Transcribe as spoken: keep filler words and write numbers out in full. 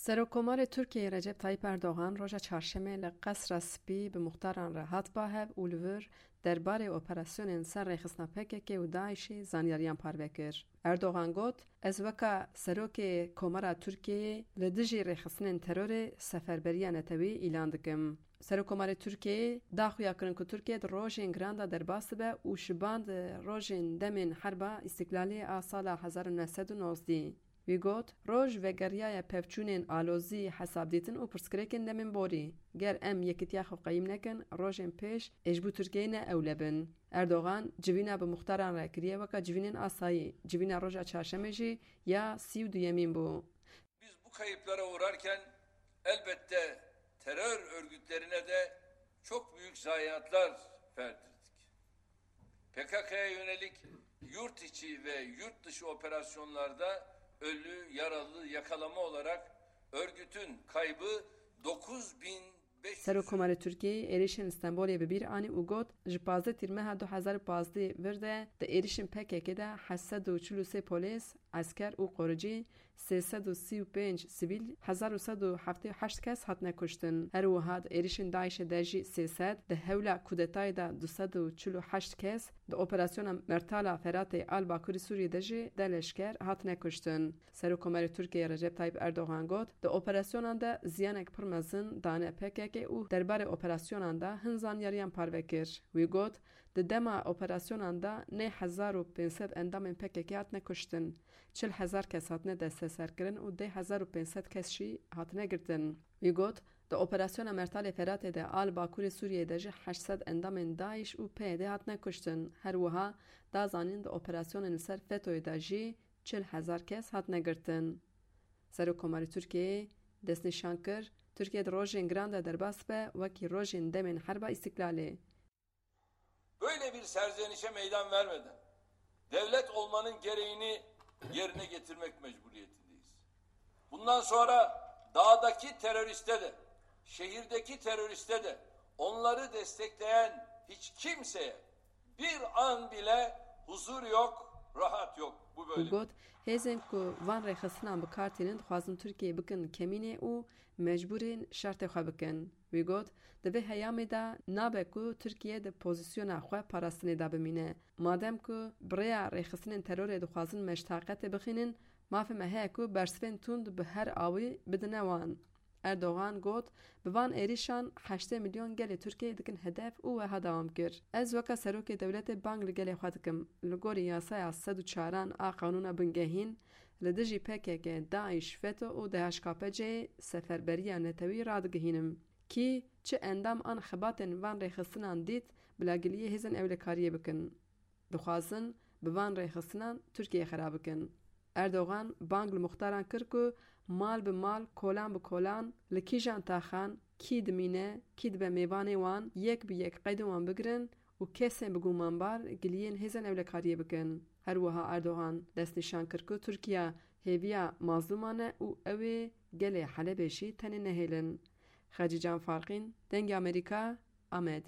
Serokkomarê Tirkiyeyê Recep Tayyip Erdogan roja çarşemê li Qesra Spî bi muxtaran re hat ba hev û li vir derbarê operasyonên ser rêxistina P K K û DAIŞ'ê zanyariyan parve kir. Erdogan got, Ez weka Serokê Komara Tirkiyeyê li dijî rêxistinên terorê seferberiya netewî îlan dikim. Serokkomarê Tirkiyeyê da xuya kirin ku Tirkiye di rojên giran de derbas dibe û şiban di rojên demên Herba Îstiklalê a sala hezar û neh sed û nozdeh. Wî got, Roj vegeriyaye pevçûnên alozî, hesabdîtin û pirsgirêkên demên borî. Ger em yekitiya xwe qeyîm nekin, rojên pêş ê ji bo Tirkiyeyê ne ewle bin. Erdogan civîna bi muxtaran re kiriye weke civînên asayî. Civîna roja çarşemê jî ya sî û duyemîn bû. Biz bu kayıplara uğrarken elbette terör örgütlerine de çok büyük zayiatlar verdirdik. P K K'ya yönelik yurt içi ve yurt dışı operasyonlarda ölü, yaralı, yakalama olarak örgütün kaybı dokuz bin beş yüz. Serokkomarê Tirkiyeyê êrişên li Stenbolê bi bîr anî û got, Ji pazdeh Tîrmeha du hezar û pazdeh vir de di êrişên P K K de heşt sed û çil û sê polîs, esker û qoricî, sê sed û sî û pênc sivîl, hezar û sed û heftê û heşt kes hatine kuştin. Her wiha di êrişên DAIŞ'ê de jî sê sed, di hewla kudetayê de du sed û çil û heşt kes, di operasyona Mertala Feratê a li bakurê Sûriyê de jî deh leşker hatine kuştin. Serokkomarê Tirkiyeyê Recep Tayyip Erdogan got, Di operasyonan de ziyanek pir mezin dane P K K û derbarê operasyonan de hin zanyariyan parve kir. Wî got, Di dema operasyonan de neh hezar û pênc sed endamên P K K hatine kuştin, çil hezar kes hatine desteserkirin û deh hezar û pênc sed kes jî hatine girtin. Wî got, Di operasyona Mertalê Feratê de a li bakurê Sûriyeyê de jî heşt sed endamên DAIŞ û P Y D hatine kuştin. Her wiha da zanîn di operasyonên li ser FETO'yê de jî çil hezar kes hatine girtin. Serokkomarê Tirkiyeyê destnîşan kir, Tirkiye di rojên giran de derbas be, wekî rojên demên Herba Îstiklalê. Böyle bir serzenişe meydan vermeden devlet olmanın gereğini yerine getirmek mecburiyetindeyiz. Bundan sonra dağdaki teröriste de, şehirdeki teröriste de, onları destekleyen hiç kimseye bir an bile huzur yok, rahat yok. Bu Û böyle. Got, Hêzên ku van rêxistinan bi kar tînin dixwazin Tirkiyeyê bikin kemînê û mecbûr in şertê xwe bikin. Wî got, Di vê heyamê de nabe ku Tirkiye di pozîsyona xwe parastinê de bimîne. Madem ku bi rêya rêxistinên terorê dixwazin me ji taqetê bixînin, mafê me heye ku bersivên tund bi her awî bidine wan. Erdogan got, Bi van êrîşan heştê milyon gelê Tirkiyeyê dikin hedef û wiha dewam kir, Ez weke serokê dewletê bang li gelê xwe dikim, li gorî yasaya sed û çaran a qanûna bingehîn, li dijî P K K, DAIŞ, FETO û D H K P C'yê seferberiya netewî radigihînim. Kî çi endam an xebatên van rêxistinan dît, bila giliyê hêzên ewlekariyê bikin. Dixwazin bi van rêxistinan Tirkiyeyê xera bikin. Erdogan bang li muxtaran kir ku mal bi mal, kolan bi kolan, li kîjan taxan kî dimîne, kî dibe mêvanê wan, yek bi yek qeydên wan bigirin û kesên bi gumanbar giliyên hêzên ewlekariyê bikin. Her wiha Erdogan destnîşan kir ku Tirkiye hêviya mazlûman e û ew ê gelê Helebê jî tenê nehêlin. Xecîcan Farqîn, Dengê Amerîka, Amed.